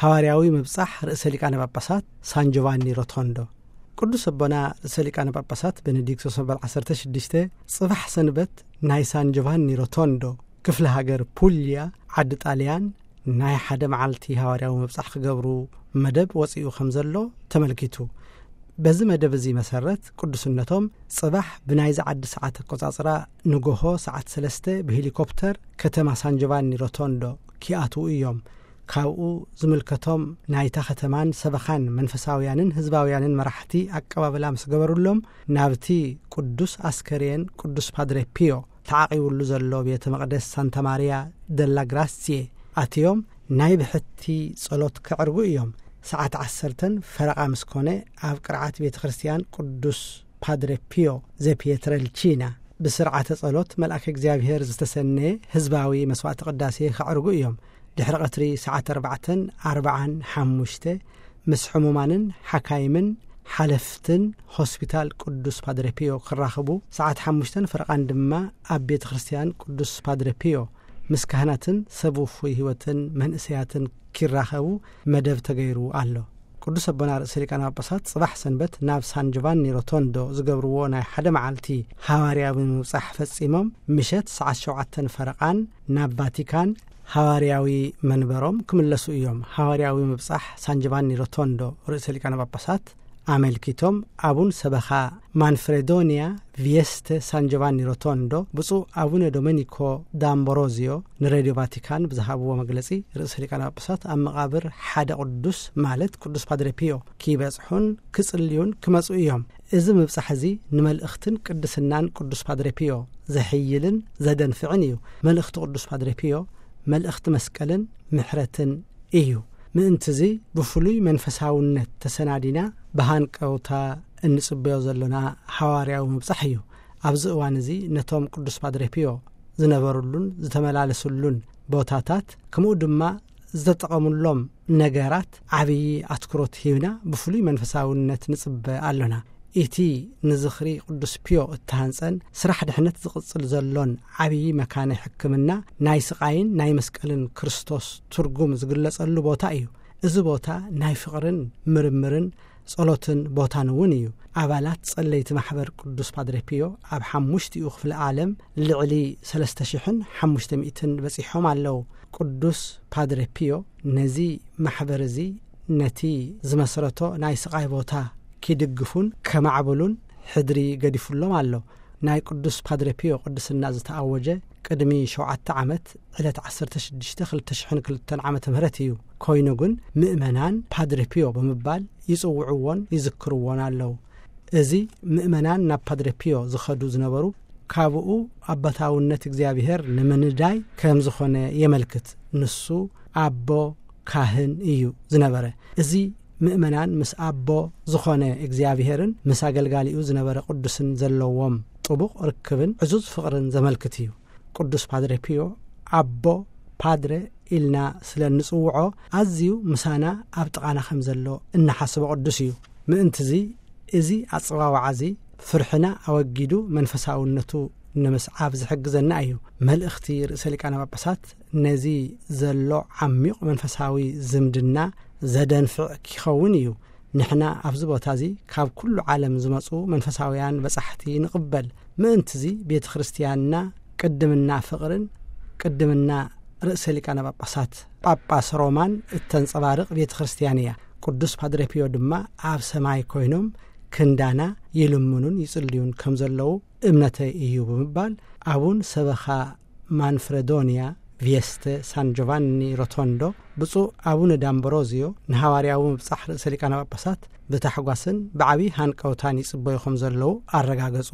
ሃዋርያዊ ምብጻሕ ርእሰ ሊቃነ ጳጳሳት ሳን ጆቫኒ ሮቶንዶ። ቅዱስ ኣቦና ርእሰ ሊቃነ ጳጳሳት ቤኔዲክቶስ መበል ዓሰርተ ሽዱሽተ ጽባሕ ሰንበት ናይ ሳን ጆቫኒ ሮቶንዶ ክፍለ ሃገር ፑልያ ዓዲ ጣልያን ናይ ሓደ መዓልቲ ሃዋርያዊ ምብጻሕ ክገብሩ መደብ ወጺኡ ከም ዘሎ ተመልኪቱ። በዚ መደብ እዚ መሰረት ቅዱስነቶም ጽባሕ ብናይዚ ዓዲ ሰዓት ኣቆጻጽራ ንጎሆ ሰዓት ሰለስተ ብሄሊኮፕተር ከተማ ሳን ጆቫኒ ሮቶንዶ ኪኣትዉ እዮም። ካብኡ ዝምልከቶም ናይታ ከተማን ሰበኻን መንፈሳውያንን ህዝባውያንን መራሕቲ ኣቀባብላ ምስ ገበሩሎም፣ ናብቲ ቅዱስ ኣስከሬን ቅዱስ ፓድሬ ፒዮ ተዓቒቡሉ ዘሎ ቤተ መቕደስ ሳንታ ማርያ ደላ ግራሲየ ኣትዮም ናይ ብሕቲ ጸሎት ከዕርጉ እዮም። ሰዓት ዓሰርተን ፈረቓ ምስ ኮነ ኣብ ቅርዓት ቤተ ክርስቲያን ቅዱስ ፓድሬ ፒዮ ዘፒየትረልቺና ብስርዓተ ጸሎት መልኣከ እግዚኣብሔር ዝተሰነየ ህዝባዊ መስዋዕቲ ቅዳሴ ከዕርጉ እዮም። ድሕሪ ቀትሪ ሰዓት ኣርባዕተን ኣርባዓን ሓሙሽተ ምስ ሕሙማንን ሓካይምን ሓለፍትን ሆስፒታል ቅዱስ ፓድሬ ፒዮ ክራኸቡ፣ ሰዓት ሓሙሽተን ፈረቓን ድማ ኣብ ቤተ ክርስቲያን ቅዱስ ፓድሬ ፒዮ ምስ ካህናትን ሰብ ውፉይ ህይወትን መንእሰያትን ኪራኸቡ መደብ ተገይሩ ኣሎ። ቅዱስ ኣቦና ርእሰ ሊቃነ ጳጳሳት ጽባሕ ሰንበት ናብ ሳን ጆቫኒ ሮቶንዶ ዝገብርዎ ናይ ሓደ መዓልቲ ሃዋርያዊ ምብጻሕ ፈጺሞም፣ ምሸት ሰዓት ሸውዓተን ፈረቓን ናብ ቫቲካን ሃዋርያዊ መንበሮም ክምለሱ እዮም። ሃዋርያዊ ምብጻሕ ሳን ጆቫኒ ሮቶንዶ ርእሰ ሊቃነ ጳጳሳት ኣመልኪቶም፣ ኣቡን ሰበኻ ማንፍሬዶኒያ ቪየስተ ሳን ጆቫኒ ሮቶንዶ፣ ብፁዕ ኣቡነ ዶሜኒኮ ዳምቦሮዚዮ ንሬድዮ ቫቲካን ብዝሃብዎ መግለጺ፣ ርእሰ ሊቃነ ጳጳሳት ኣብ መቓብር ሓደ ቅዱስ፣ ማለት ቅዱስ ፓድሬ ፒዮ፣ ኪበጽሑን ክጽልዩን ክመጹ እዮም። እዚ ምብጻሕ እዚ ንመልእኽትን ቅድስናን ቅዱስ ፓድሬ ፒዮ ዘሕይልን ዘደንፍዕን እዩ። መልእኽቲ ቅዱስ ፓድሬ ፒዮ መልእኽቲ መስቀልን ምሕረትን እዩ። ምእንቲ እዚ ብፍሉይ መንፈሳውነት ተሰናዲና ብሃንቀውታ እንጽበዮ ዘሎና ሃዋርያዊ ምብጻሕ እዩ። ኣብዚ እዋን እዚ ነቶም ቅዱስ ፓድሬ ፒዮ ዝነበሩሉን ዝተመላለሱሉን ቦታታት፣ ከምኡ ድማ ዝተጠቐሙሎም ነገራት ዓብዪ ኣትኩሮት ሂብና ብፍሉይ መንፈሳውነት ንጽበ ኣሎና። እቲ ንዝኽሪ ቅዱስ ፒዮ እተሃንጸን ስራሕ ድሕነት ዝቕጽል ዘሎን ዓብዪ መካነ ሕክምና፣ ናይ ስቓይን ናይ መስቀልን ክርስቶስ ትርጉም ዝግለጸሉ ቦታ እዩ። እዚ ቦታ ናይ ፍቕርን ምርምርን ጸሎትን ቦታን እውን እዩ። ኣባላት ጸለይቲ ማሕበር ቅዱስ ፓድሬ ፒዮ ኣብ ሓሙሽቲኡ ክፍለ ዓለም ልዕሊ ሰለስተ ሽሕን ሓሙሽተ ሚእትን በጺሖም ኣለዉ። ቅዱስ ፓድሬ ፒዮ ነዚ ማሕበር እዚ፣ ነቲ ዝመስረቶ ናይ ስቓይ ቦታ ኪድግፉን ከማዕብሉን ሕድሪ ገዲፉሎም ኣሎ። ናይ ቅዱስ ፓድሬ ፒዮ ቅድስና ዝተኣወጀ ቅድሚ ሸውዓተ ዓመት ዕለት ዓሰርተ ሽዱሽተ ክልተ ሽሕን ክልተን ዓመተ ምህረት እዩ። ኮይኑ ግን ምእመናን ፓድሬ ፒዮ ብምባል ይጽውዕዎን ይዝክርዎን ኣለዉ። እዚ ምእመናን ናብ ፓድሬ ፒዮ ዝኸዱ ዝነበሩ ካብኡ ኣባታውነት እግዚኣብሔር ንምንዳይ ከም ዝኾነ የመልክት። ንሱ ኣቦ ካህን እዩ ዝነበረ። እዚ ምእመናን ምስ ኣቦ ዝኾነ እግዚኣብሔርን ምስ ኣገልጋሊኡ ዝነበረ ቅዱስን ዘለዎም ጥቡቕ ርክብን ዕዙዝ ፍቕርን ዘመልክት እዩ። ቅዱስ ፓድሬ ፒዮ ኣቦ ፓድሬ ኢልና ስለ እንጽውዖ ኣዝዩ ምሳና ኣብ ጥቓና ከም ዘሎ እናሓስቦ ቅዱስ እዩ። ምእንቲ እዚ፣ እዚ ኣጸዋውዓ እዚ ፍርሕና ኣወጊዱ መንፈሳውነቱ ንምስዓብ ዝሕግዘና እዩ። መልእኽቲ ርእሰ ሊቃነ ጳጳሳት ነዚ ዘሎ ዓሚቕ መንፈሳዊ ዝምድና ዘደንፍዕ ኪኸውን እዩ። ንሕና ኣብዚ ቦታ እዚ ካብ ኩሉ ዓለም ዝመጹ መንፈሳውያን በጻሕቲ ንቕበል። ምእንቲ እዚ ቤተ ክርስቲያንና ቅድምና ፍቕርን ቅድምና ርእሰ ሊቃነ ጳጳሳት ጳጳስ ሮማን እተንጸባርቕ ቤተ ክርስቲያን እያ። ቅዱስ ፓድሬ ፒዮ ድማ ኣብ ሰማይ ኮይኖም ክንዳና ይልምኑን ይጽልዩን ከም ዘለዉ እምነተይ እዩ ብምባል ኣቡን ሰበኻ ማንፍረዶንያ ቪየስተ ሳን ጆቫኒ ሮቶንዶ ብፁዕ ኣቡነ ዳምበሮዚዮ ንሃዋርያዊ ምብጻሕ ርእሰ ሊቃነ ጳጳሳት ብታሕጓስን ብዓብዪ ሃንቀውታን ይጽበዩ ከም ዘለዉ ኣረጋገጹ።